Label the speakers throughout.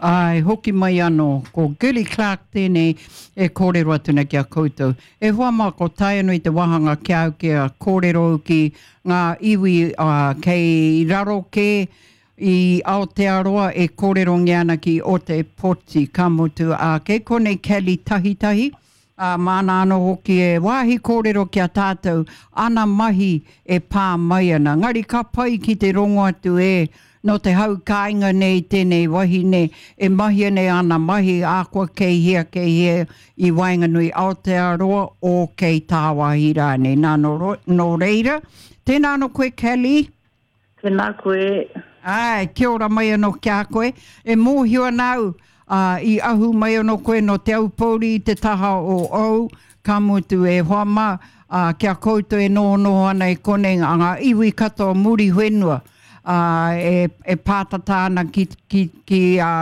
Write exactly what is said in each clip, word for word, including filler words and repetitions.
Speaker 1: Āe, hoki mai anō, ko Girlie Clarke tēnei e kōrero atu nei ki a koutou. E hoa mā, ko tae anō i te wāhanga ki a au kia kōrero ki ngā iwi kei raro kē i Aotearoa e kōrerongia ana ki Ōtepoti, ka mutu, ā, kei konei Kelly Tahitahi, ā, māna anō hoki e wāhi kōrero ki a tātou ana mahi e pā mai ana. Ngari ka pai ki te rongo atu e, nō te hau kāinga nei tēnei wahine e mahia nei ana mahi ahakoa kei hea, kei hea i waenganui Aotearoa o kei tāwāhi rānei. Nā, nō, nō reira, tēnā anō koe Kelly.
Speaker 2: Tēnā koe.
Speaker 1: Āe, kia ora mai anō ki a koe. E mōhio ana au, ā, i ahu mai anō koe nō Te Aupōuri i te taha o Ou, ka mutu e hoa mā, ā, ki a koutou e nohonoho ana i konei ngā, ngā iwi katoa o Muriwhenua, ā, e, e pātata ana ki, ki, ki, ā,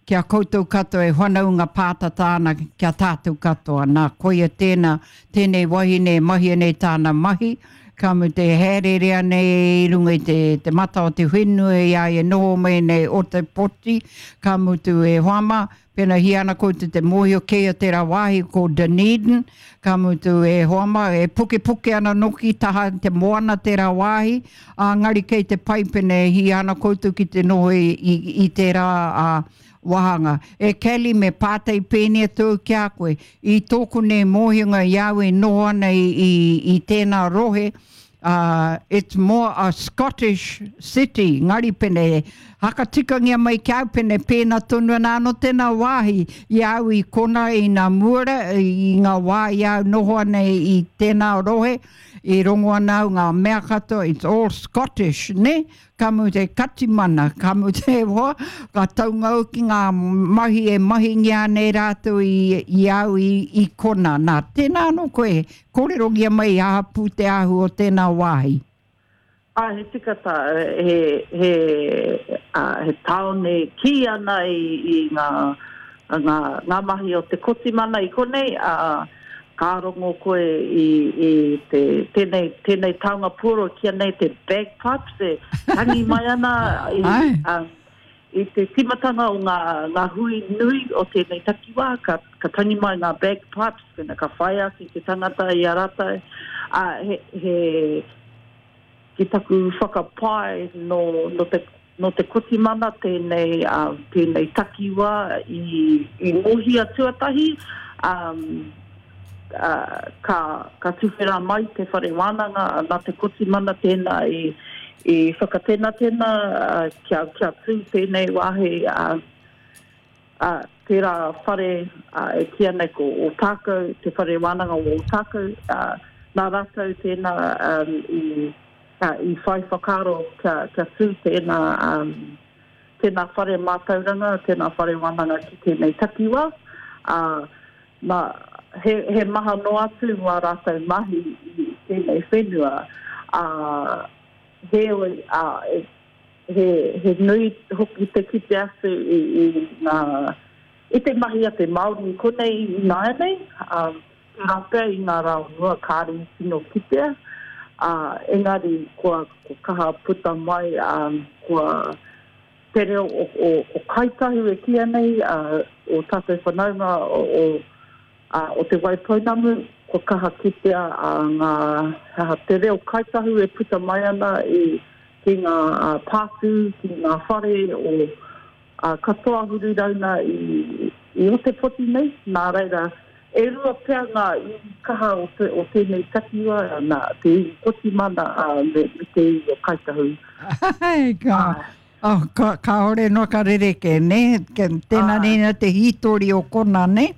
Speaker 1: ki a koutou katoa e whanaunga pātata ana ki a tātou katoa. Nā, koia tēnā, tēnei wahine e mahia nei tāna mahi, ka mutu e hāereere ana i runga i te, te mata o te whenua i a ia noho mai nei Ōtepoti, ka mutu e hoa mā, pēnā hia ana koutou te mōhio keia tērā wāhi ko Dunedin, ka mutu e hoa mā, e pukepuke ana noki taha te moana tērā wāhi, ā, ngari kei te pai pēnā e hia ana koutou ki te noho i, i, i tērā ā, wāhanga. E Kelly, me pātai pēnei atu au ki a koe, i tōku nei mōhionga i a au e noho ana i, i, i tēnā rohe, uh, it's more a Scottish city, ngari pene, hakatikangia mai ki a au pene pēnā tonu ana anō tēnā wāhi i a au i kona i nā muara, i ngā wā i a au noho ana i, i tēnā rohe, i rongo ana au ngā mea katoa, it's all Scottish, ne? Ka mutu he katimana, ka mutu he hoa, ka taunga au ki ngā mahi e mahingia ana e rātou i, i au i, i kona. Nā, tēnā anō koe, kōrerongia mai aha pū te āhua o tēnā wāhi.
Speaker 2: Ā, he tika tā, he, he, ā, he tāone kī ana i, i ngā, ngā, ngā mahi o te Kotimana i konei, ā, Ka rongo koe i, i te, tēnei, tēnei taonga puoro e kīia nei te bagpipes e tangi mai ana i, um, i te tīmatanga o ngā, ngā hui nui o tēnei takiwā, ka, ka tangi mai ngā bagpipes, pēnā ka whai ake te tangata i a rātou. Ā, he, he, ki taku whakapae nō, nō te, nō te Kotimana tēnei, tēnei takiwā i, i ngohia tuatahi, ā, ā, ka, ka tuwhera mai te whare wānanga, nā te Kotimana tēnā i, i whakatenatena kia, kia tū tēnei wāhi, ā, ā, tērā whare ā, e kīia nei ko Ōtākou, te whare wānanga o Ōtākou, ā, nā rātou tēnā um, i, ā, i whai whakaaro kia, kia tū tēnā, um, tēnā whare mātauranga, tēnā whare wānanga ki tēnei takiwā. Ā, nā, he, he maha noa atu wā rātou mahi i tēnei whenua, ā, heoi, ā, e, He, he nui hoki te kite atu i, i ngā, i te mahi a te Māori i konei ināianei, ā, tērā pea i ngā rā o mua kāre i tino kitea, ā, engari kua, kua kaha puta mai, ā, kua te reo o, o, o Kāi Tahu e kīia nei, ā, o tātou whanaunga o, o, ā, o Te Waipounamu, kua kaha kitea ā, ngā, he aha, te reo Kāi Tahu e puta mai ana i, ki ngā pātū, ki ngā whare o ā, katoa huri rauna i, i Otepoti nei, nā reira, e rua pea ngā iwi kaha o, te, o tēnei takiwā, nā, te iwi Kotimana ā, me, me te iwi o Kāi Tahu.
Speaker 1: Ai, ka, oh, ka, kāore noa ka rerekē, nē? Tēnā nei te hītori o kona, nē?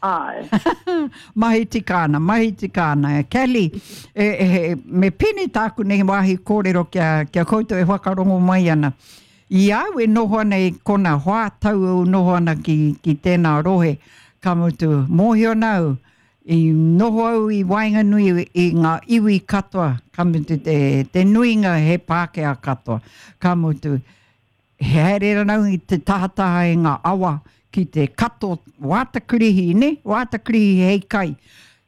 Speaker 2: Āe.
Speaker 1: Mahi tika ana, mahi tika ana. Kelly, e, e, me pēnei tāku nei wāhi kōrero ki a, ki a koutou e whakarongo mai ana. I au e noho ana i kona hoa tau au noho ana ki, ki tēnā rohe, ka mutu, mōhio ana au, i noho au i waenganui i ngā iwi katoa, ka mutu te, te nuinga he Pākehā katoa, ka mutu, He haere rana au i te tahataha i ngā awa ki te kato wātakirihi, nē? Wātakirihi hei kai.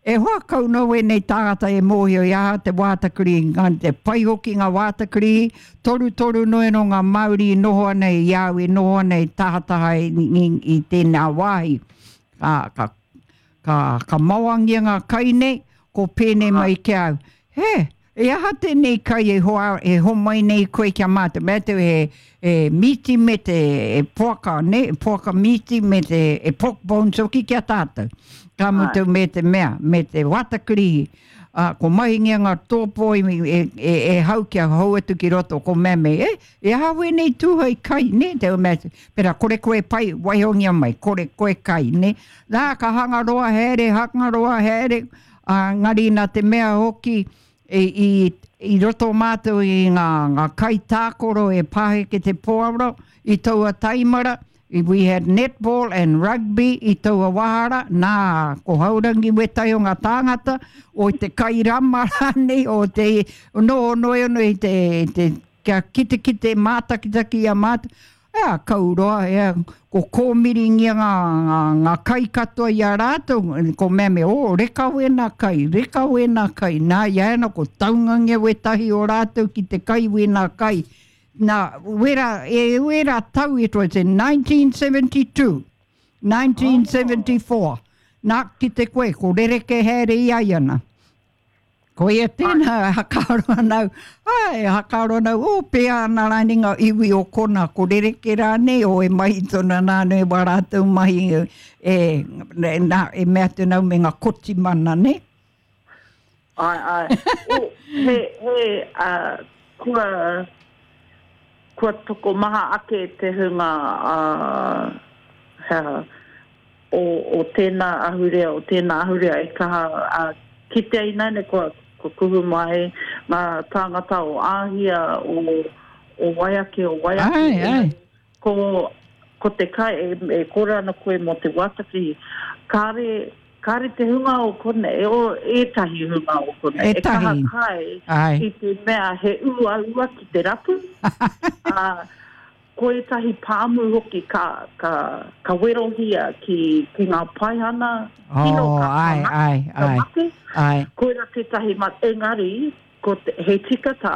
Speaker 1: E hoa kau no wēnei tāngata e mōhio i aha te wātakuri, ngā te pai hoki ngā wātakuri, toru toru noe no ngā Māori i noho ana i au i noho ana i tahataha i, i, i tēnā wāhi. Ka, ka, ka, ka mawangia ngā kai nei, ko pēnei mai ki au. He, e aha tēnei kai e, hoa, e homai nei koe kia mātou. Mea te he, he mīti me te e poaka, ne? Poaka mīti me te e pork bones hoki kia tātou. Ka mutu me te mea, me te watakurihi. Uh, ko mahingia ngā tōpō i, e, e, e hau kia hau atu ki roto, ko mea me, e, e aha wēnei tūhai kai, ne? Te mea, pera kore koe pai, waihongia mai, kore koe kai, ne? Nā, ka hangaroa haere, hangaroa haere, uh, ngari nā te mea hoki, e, i, i roto mātou i ngā, ngā kai tākoro e pāheke te pōaro, i taua taimara, we had netball and rugby i taua wahara, nā, ko haurangi wetai o ngā tāngata, o te kai rama rānei, o te no no no i te, te kia kite kite mātakitaki a māta, ea, kauroa, ea, ko kōmiringia ngā, ngā, ngā kai katoa i a rātou, ko mea me, o, reka wēnā kai, reka wēnā kai, nā, ia ana, ko taungangia wetahi o rātou ki te kai wēnā kai. Nā, wera, e wera tau, it was in nineteen seventy-two, nineteen seventy-four. Oh. Nā, ki te koe, ko rereke haere i ai ana. Ko ia tēnā, hakaro anau, ai, hakaro anau, o, pēa ana rānei ngā iwi o kona, ko rereke rānei, o e mahi tona nāne wā rātou mahi, e, nā, e mea tēnau me ngā kotimana, ne?
Speaker 2: Ai, ai. O, he, he, uh, kua... kua toko maha ake te hunga uh, hea, o, o tēnā ahurea, o tēnā ahurea e kaha uh, kitea inaine kua, kua kuhu mai ngā tāngata o Āhia, o, o Waiake, o Waiake.
Speaker 1: Ai, ai.
Speaker 2: Ko, ko te kai, e, e kore ana koe mō te wātakiri, kāre, kāre te hunga o konei, o ētahi hunga o konei, e kaha kai
Speaker 1: ai.
Speaker 2: I te mea he uaua ki te rapu. uh, ko ētahi pāmu hoki ka, ka, ka werohia ki, ki ngā paihana,
Speaker 1: oh,
Speaker 2: kino ka,
Speaker 1: ai,
Speaker 2: ka,
Speaker 1: ai,
Speaker 2: ka
Speaker 1: ai,
Speaker 2: mate.
Speaker 1: Ai.
Speaker 2: Koira tētahi mate, engari, ko te, he tika tā,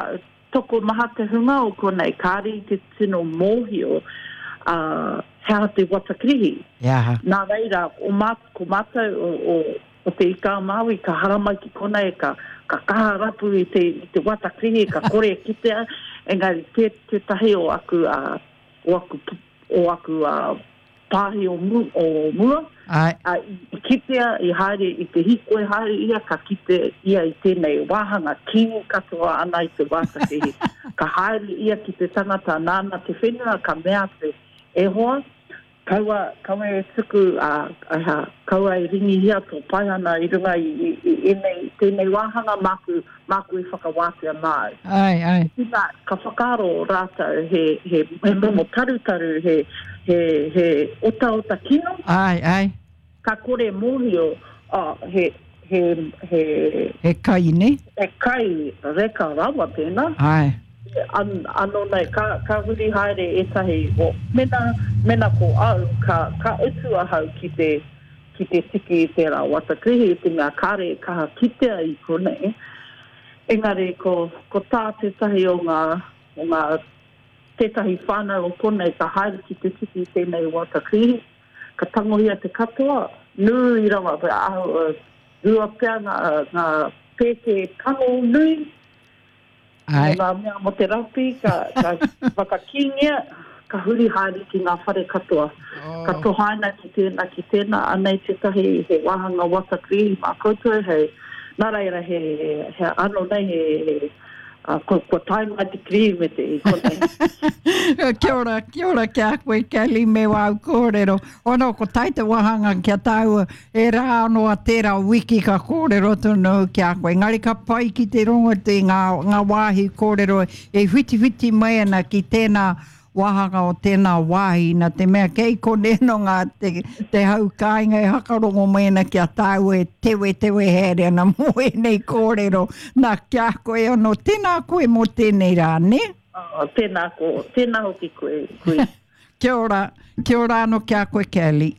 Speaker 2: toko maha te hunga o konei, kāre i te tino mōhio, uh, he aha te watakirihi.
Speaker 1: Yeah.
Speaker 2: Nā reira, o mā, ko mātou o, o, o te Ika a Māui, ka haramai ki konei, ka, ka kaha rapu i te, i te watakirihi, ka kore e kitea, engari te, tētahi o aku, uh, o aku, o aku uh, pāhi o, mu, o mua,
Speaker 1: Ai.
Speaker 2: uh, i kitea, i haere, i te hikoi haere ia, ka kite ia i tēnei wāhanga, kī katoa ana i te watakirihi. Ka haere ia ki te tangata nāna te whenua, ka mea te e hoa, kaua, kaua e tuku, uh, uh, kaua e ringihia tō paihana i runga i, i, i enei, tēnei wāhanga māku, māku e whakawātea māu.
Speaker 1: Ai, ai.
Speaker 2: Ina, ka whakaaro rātou he, he, he momo tarutaru, he, he, he otaota kino.
Speaker 1: Ai, ai.
Speaker 2: Ka kore mōhio, oh, he, he, he,
Speaker 1: He kai, ne?
Speaker 2: He kai reka rawa tēnā.
Speaker 1: Ai.
Speaker 2: An, anō nei, ka, ka huri haere ētahi, o, mena, mena ko au, ka, ka utu ahau ki te, ki te tiki i tērā watakirihi, i te mea kāre kaha kitea i konei. Engari ko, ko tā tētahi o ngā, o ngā, tētahi whānau o konei ka haere ki te tiki i tēnei watakirihi, ka tangohia te katoa, nui rawa, ahu, rua pea ngā, ngā pēke tango nui,
Speaker 1: Ai.
Speaker 2: Ngā mea mo te rapi, ka, ka whakakīngia, ka huri haere ki ngā whare katoa.
Speaker 1: Oh.
Speaker 2: Ka tohaina ki tēnā, ki tēnā, anei tētahi he wāhanga watakirihi mā koutou, hei, nā reira he, he anō nei, he, he, uh, ko, kua tae mai te kirihi me te i konei.
Speaker 1: Kia ora, kia ora kia koe, Kelly, me wau kōrero. Ono, ko tai te wāhanga kia tāua, e rā anō a tērā wiki ka kōrero tonu kia koe. Ngari ka pai ki te rongo te ngā, ngā wāhi kōrero e whitiwhiti mai ana ki tēnā wāhanga o tēnā wāhi nā te mea kei koneno ngā te, te hau kāinga e hakarongo mai ana kia tāua e tewe tewe haere ana mō ēnei kōrero. Nā kia koe anō, tēnā koe mō tēnei rā, ne?
Speaker 2: Oh, tēnā ko, tēnā hoki koe, koe.
Speaker 1: Kia ora, kia ora anō kia koe, Kelly.